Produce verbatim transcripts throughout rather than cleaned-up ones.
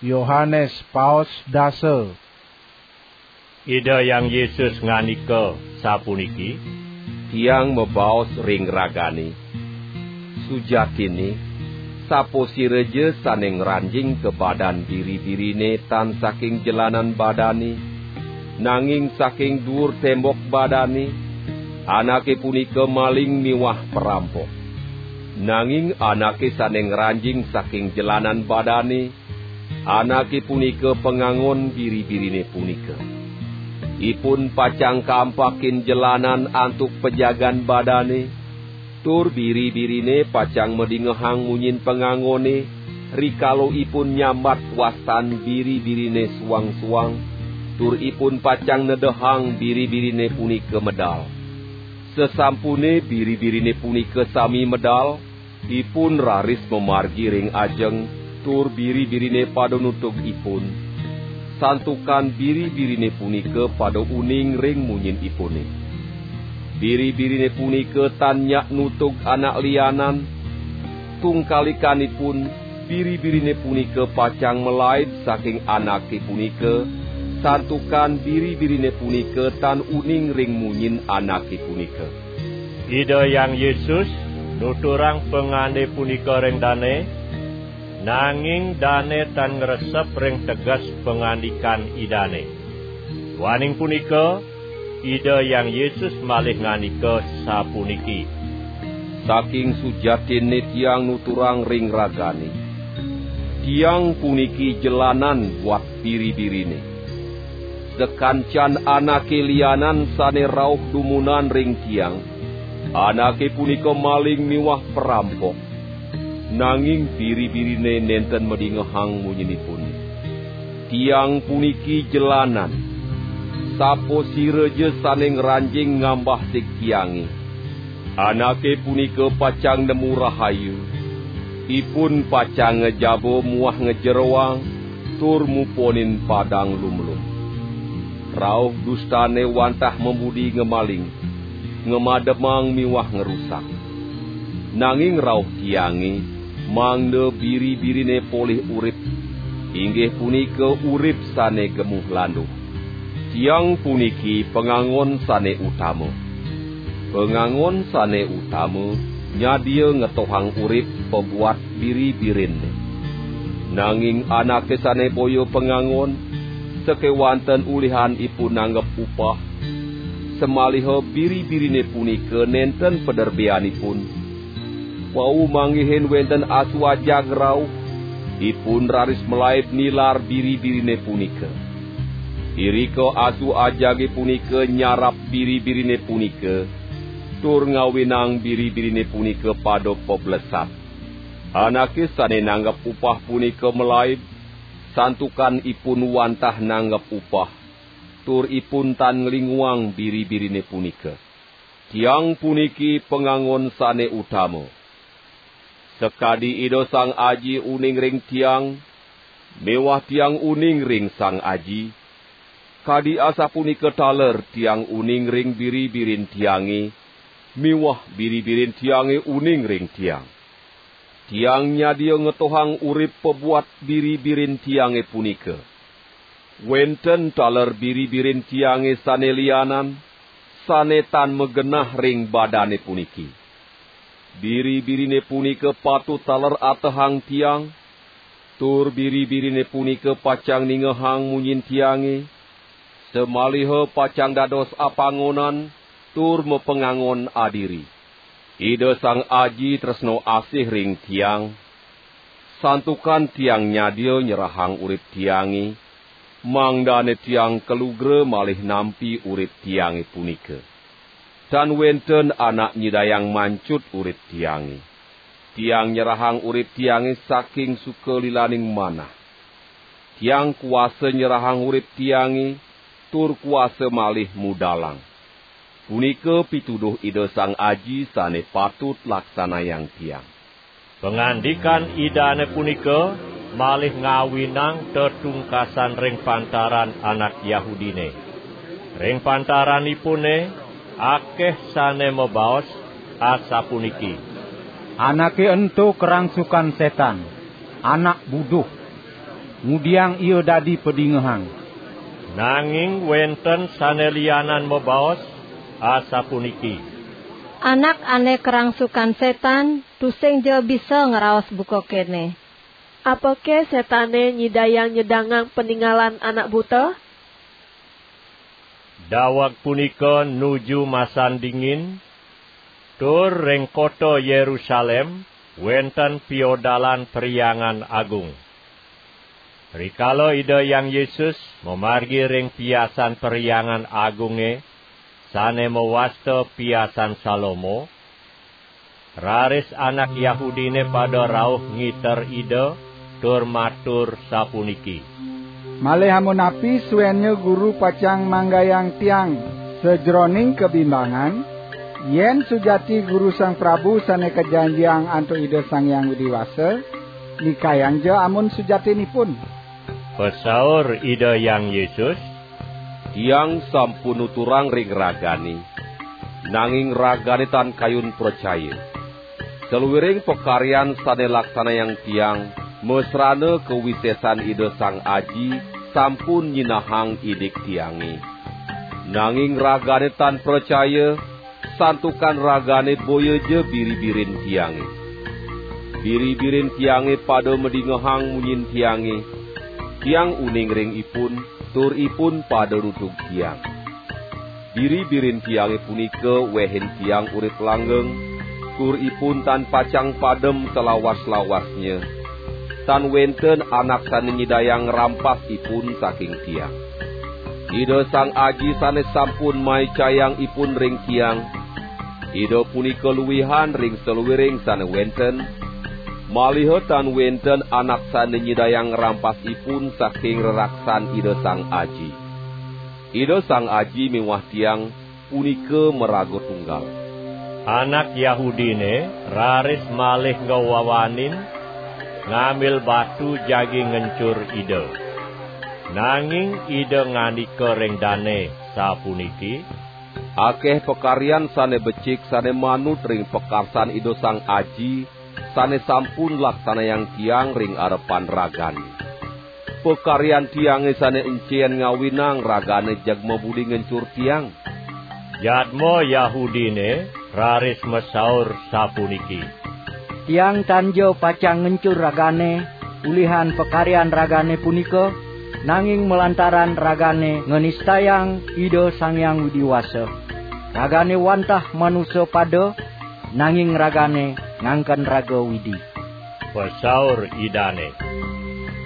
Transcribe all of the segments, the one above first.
Yohanes paos dasa. Ida Hyang Yesus ngandika sapuniki: Tiang mabaos ring ragane, sujatinne, sapasiraja sane ngranjing ka badan biri-birine tan saking jelanan badane, nanging saking duur tembok badane, anake punika maling miwah parampok. Nanging anake sane ngranjing saking jelanan badane, anake punika pangangon biri-birine punika. Ipun pacang kaampakin jelanan antuk pajagan badane, tur biri-birine pacang madingehang munyin pangangone, rikala ipun nyambat wastan biri-birine suang-suang, tur ipun pacang nedehang biri-birine punika medal. Sasampune biri-birine punika sami medal, ipun raris mamargi ring ajeng, tur biri-birine pada nutug ipun, santukan biri-birine punika pada uning ring munyinipune. Biri-birine punika tan nyak nutug anak lianan, tungkalikanipun, biri-birine punika pacang malaib saking anake punika, santukan biri-birine punika tan uning ring munyin anake punika. Ida Hyang Yesus nuturang pangande punika ring dane, nanging dane tan ngresep ring teges pangandikan Idane. Duaning punika, Ida Hyang Yesus malih ngandika sapuniki: Saking sujatinne Tiang nuturang ring ragane, Tiang puniki jelanan buat biri-birine. Sakancan anake lianan sane rauh dumunan ring Tiang, anake punika maling miwah parampok, nanging biri-birine nenten madingehang munyinipune. Tiang puniki jelanan. Sapasiraja sane ngranjing ngambah sig Tiange, anake punika pacang nemu rahayu, ipun pacang ngejaba muah ngejeroang, tur muponin padang lumlum. Rauh dustane wantah mabudi ngemaling, ngamademang miwah ngrusak. Nanging rauh Tiange, mangda biri-birine polih urip, inggih punika urip sane gemuh landuh. Tiang puniki pangangon sane utama. Pangangon sane utama nyadia ngetohang urip pabuat biri-birinne. Nanging anake sane boya pangangon, sakewanten ulihan ipun nanggep upah, samaliha biri-birine punika nenten paderbeanipun, wau manggihin wenten asu ajag rauh, ipun raris malaib nilar biri-birine punika. Irika asu ajage punika nyarap biri-birine punika, tur ngawinang biri-birine punika pada pablesat. Anake sane nanggep upah punika malaib, santukan ipun wantah nanggep upah, tur ipun tan nglinguang biri-birine punika. Tiang puniki pangangon sane utama. Sakadi Ida Sang Aji uning ring Tiang, miwah Tiang uning ring Sang Aji, kadi asapunika taler Tiang uning ring biri-birin Tiange, miwah biri-birin Tiange uning ring Tiang. Tiang nyadia ngetohang urip pabuat biri-birin Tiange punika. Wenten taler biri-birin Tiange sane lianan, sane tan magenah ring badane puniki. Biri-birine punika patut taler atehang Tiang, tur biri-birine punika pacang ningehang munyin Tiange, samaliha pacang dados apangonan tur mapangangon adiri. Ida Sang Aji tresna asih ring Tiang, santukan Tiang nyadia nyerahang urip Tiange, mangdane Tiang kalugra malih nampi urip Tiange punika. Tan wenten anak nyidayang mancut urip Tiange. Tiang nyerahang urip Tiange saking sukalilaning manah. Tiang kuasa nyerahang urip Tiange, tur kuasa malih mudalang. Punika pituduh Ida Sang Aji sane patut laksanayang Tiang. Pangandikan Idane punika malih ngawinang tetungkasan ring pantaran anak Yahudine. Ring pantaranipune akeh sane mabaos asapuniki: "Anake ento karangsukan setan, anak buduh." ngudiang ia dadi padingehang. Nanging wenten sane lianan mabaos, asapuniki: Anak ane karangsukan setan, tusingja bisa ngraos buka kene. Apake setane nyidayang nyedangang paningalan anak buta? Daweg punika nuju masan dingin, tur ring kota Yerusalem wenten piodalan Perhyangan Agung. Rikala Ida Hyang Yesus mamargi ring piasan Perhyangan Agunge sane mawasta Piasan Salomo, raris anak Yahudine pada rauh ngiter Ida tur matur sapuniki: Malih amun napi suennya Guru pacang manggayang tiang sajeroning kabimbangan, yen sujati Guru Sang Prabu sane kajanjiang antuk Ida Sang Hyang Widi Wasa, nikayangja amun sujatinipun. Pasaur Ida Hyang Yesus: Tiang sampun nuturang ring ragane, nanging ragane tan kayun pracaya. Saluiring pakaryan sane laksanayang tiang, masrana kawisesan Ida Sang Aji sampun nyinahang indik tiange. Nanging ragane tan pracaya, santukan ragane boyaja biri-birin tiange. Biri-birin tiange pada madingehang munyin tiange, tiang uning ring ipun, tur ipun pada nutug tiang. Biri-birin tiange punika wehin tiang urip langgeng, tur ipun tan pacang padem salawas-lawasnya. Tan wenten anak sane nyidayang ngrampas ipun saking tiang. Ida Sang Aji sane sampun maicayang ipun ring tiang, Ida punika luihan ring saluiring sane wenten, maliha tan wenten anak sane nyidayang ngrampas ipun saking reraksan Ida Sang Aji. Ida Sang Aji miwah tiang punika maraga tunggal. Anak Yahudine raris malih ngwawanin ngambil batu jagi ngencur Ida. Nanging Ida ngandika ring dane sapuniki: Akeh pakaryan sane becik sane manut ring pakarsan Ida Sang Aji, sane sampun laksanayang tiang ring arepan ragane. Pakaryan tiange sane encen ngawinang ragane jeg mabudi ngencur tiang. Jadma Yahudine raris masaur sapuniki: Tiang tanja pacang ngencur ragane ulihan pakaryan ragane punika, nanging malantaran ragane nganistayang Ida Sang Hyang Widi Wasa. Ragane wantah manusa pada, nanging ragane ngangken raga Widi. Pasaur Idane: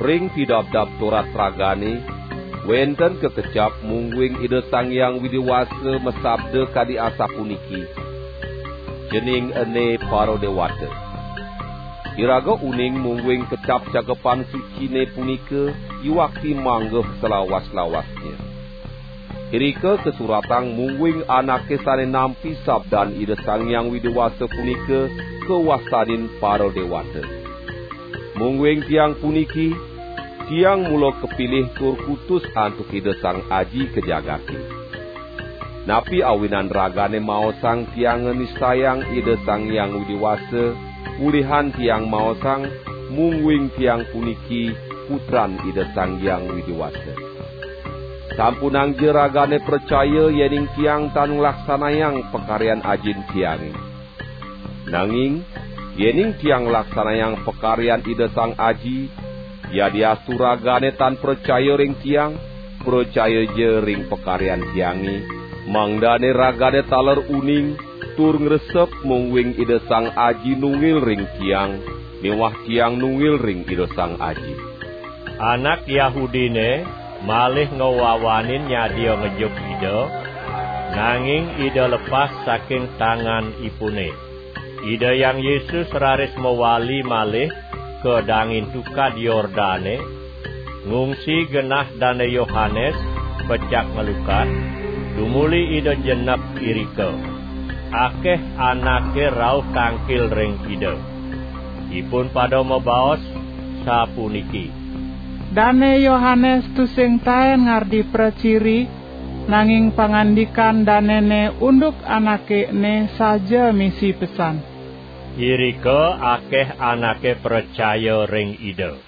Ring Pidabdab Torat ragane, wenten kakecap mungguing Ida Sang Hyang Widi Wasa masabda kadi asapuniki: Cening ene para dewata. Iraga uning mungguing kecap Cakepan Sucine punika iwakti manggeh salawas-lawasnya. Irika kasuratang mungguing anake sane nampi sabdan Ida Sang Hyang Widi Wasa punika kawastanin para dewata. Mungguing tiang puniki, tiang mula kapilih tur kutus antuk Ida Sang Aji ka jagate. Napi awinan ragane maosang tiang nganistayang Ida Sang Hyang Widi Wasa, ulihan tiang maosang, mungguing tiang puniki Putran Ida Sang Hyang Widi Wasa? Sampunangja ragane pracaya yening tiang tan nglaksanayang pakaryan Ajin tiange. Nanging, yening tiang nglaksanayang pakaryan Ida Sang Aji, yadiastu ragane tan pracaya ring tiang, pracayaja ring pakaryan tiange, mangdane ragane taler uning, tur ngresep mungguing Ida Sang Aji nunggil ring tiang, miwah tiang nunggil ring Ida Sang Aji. Anak Yahudine malih ngwawanin nyadia ngejuk Ida, nanging Ida lepas saking tanganipune. Ida Hyang Yesus raris mawali malih ka dangin tukad Yordane, ngungsi genah Dane Yohanes pecak ngelukad, tumuli Ida jenek irika. Akeh anake rauh tangkil ring Ida. Ipun pada mabaos sapuniki: Dane Yohanes tusing taen ngardi praciri, nanging pangandikan danene unduk anake ene saja misi pesan. Irika akeh anake pracaya ring Ida.